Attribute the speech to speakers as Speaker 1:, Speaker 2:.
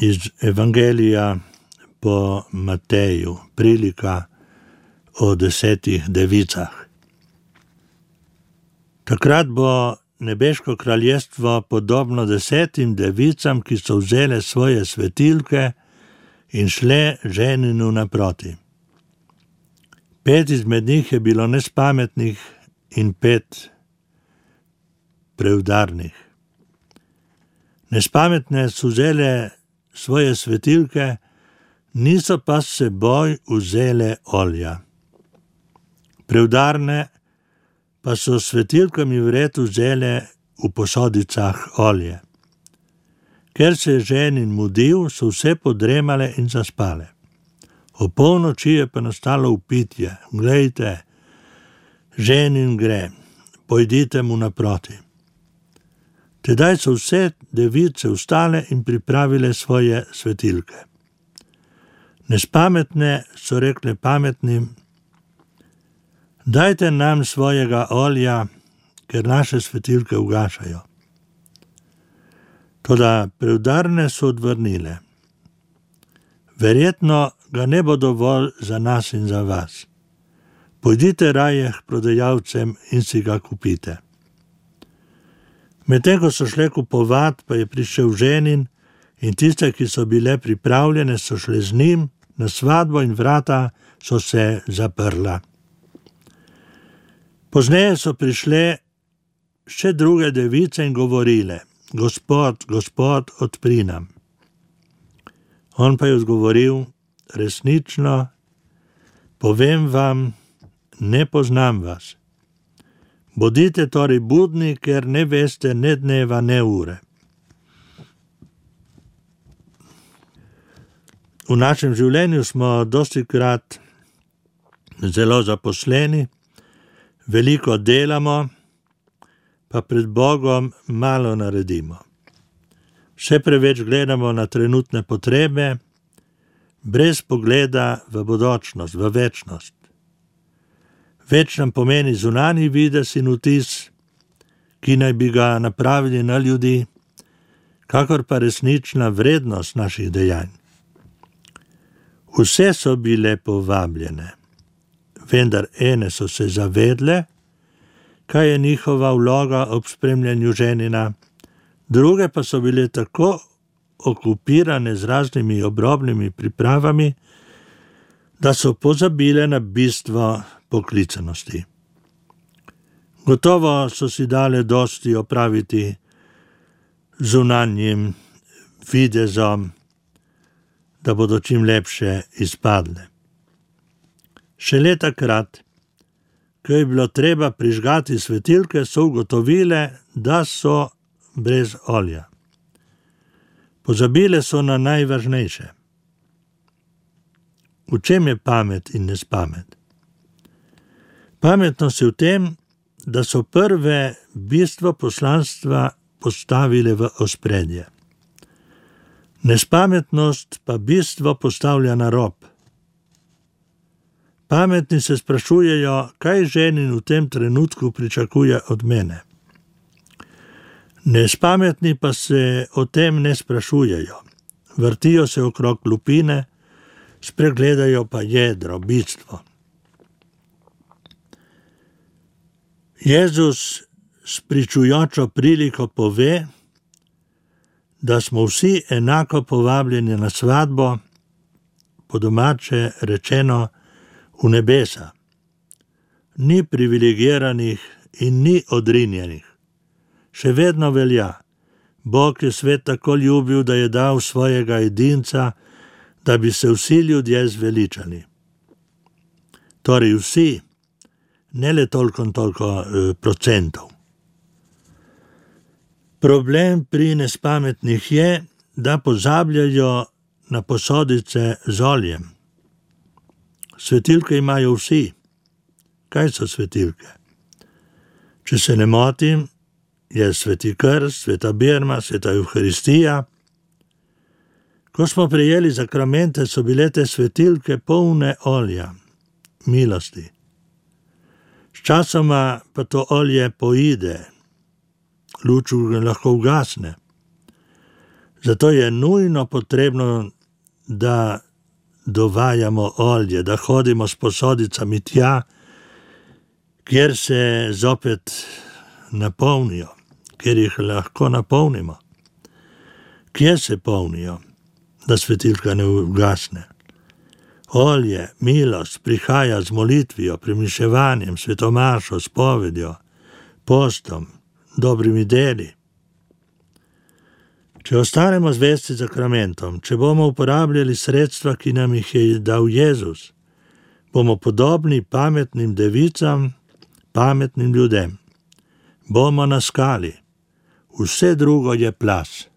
Speaker 1: iz Evangelija po Mateju, prilika o 10 devicah. Takrat bo nebeško kraljestvo podobno 10 devicam, ki so vzele svoje svetilke in šle ženinu naproti. 5 izmed njih je bilo nespametnih in 5 preudarnih. Nespametne so vzele svoje svetilke, niso pa s seboj vzele olja. Preudarne pa so svetilkami vred vzele v posodicah olje. Ker se je ženin mudil, so vse podremale in zaspale. O polnoči je pa nastalo vpitje: glejte, ženin gre, pojdite mu naproti. Tedaj so vse device vstale in pripravile svoje svetilke. Nespametne so rekle pametnim: dajte nam svojega olja, ker naše svetilke ugašajo. Toda preudarne so odvrnile: verjetno ga ne bo dovolj za nas in za vas. Pojdite raje k prodajalcem in si ga kupite. Medtem ko so šle kupovat, pa je prišel ženin in tiste, ki so bile pripravljene, so šle z njim na svatbo in vrata so se zaprla. Pozneje so prišle še druge device in govorile: Gospod, Gospod, odpri nam. On pa je odgovoril: resnično, povem vam, ne poznam vas. Bodite torej budni, ker ne veste ne dneva, ne ure. V našem življenju smo dostikrat zelo zaposleni, veliko delamo, pa pred Bogom malo naredimo. Vse preveč gledamo na trenutne potrebe, brez pogleda v bodočnost, v večnost. Več nam pomeni zunanji videz in vtis, ki naj bi ga napravili na ljudi, kakor pa resnična vrednost naših dejanj. Vse so bile povabljene, vendar ene so se zavedle, kaj je njihova vloga ob spremljanju ženina, druge pa so bile tako okupirane z raznimi obrobnimi pripravami, da so pozabile na bistvo poklicanosti. Gotovo so si dale dosti opraviti zunanjim videzom, da bodo čim lepše izpadle. Šele takrat, ko je bilo treba prižgati svetilke, so ugotovile, da so brez olja. Pozabile so na najvažnejše. V čem je pamet in nespamet? Pametnost je v tem, da so prve bistvo poslanstva postavile v ospredje. Nespametnost pa bistvo postavlja na rob. Pametni se sprašujejo, kaj ženin v tem trenutku pričakuje od mene. Nespametni pa se o tem ne sprašujejo. Vrtijo se okrog lupine, spregledajo pa jedro, bistvo. Jezus s pričujočo priliko pove, da smo vsi enako povabljeni na svatbo, po domače rečeno v nebesa. Ni privilegiranih in ni odrinjenih. Še vedno velja: Bog je svet tako ljubil, da je dal svojega edinca, da bi se vsi ljudje zveličali. Torej vsi, ne le toliko procentov. Problem pri nespametnih je, da pozabljajo na posodice z oljem. Svetilke imajo vsi. Kaj so svetilke? Če se ne motim, je sveti krst, sveta birma, sveta Evharistija. Ko smo prejeli zakramente, so bile te svetilke polne olja, milosti. Sčasoma pa to olje poide, luč lahko ugasne. Zato je nujno potrebno, da dovajamo olje, da hodimo s posodicami tja, kjer se zopet napolnijo, kjer jih lahko napolnimo. Kje se polnijo, da svetilka ne ugasne? Olje, milost prihaja z molitvijo, premišljevanjem, svetomašo, spovedjo, postom, dobrimi deli. Če ostanemo zvesti sakramentom, če bomo uporabljali sredstva, ki nam jih je dal Jezus, bomo podobni pametnim devicam, pametnim ljudem. Bomo na skali. Vse drugo je plaz.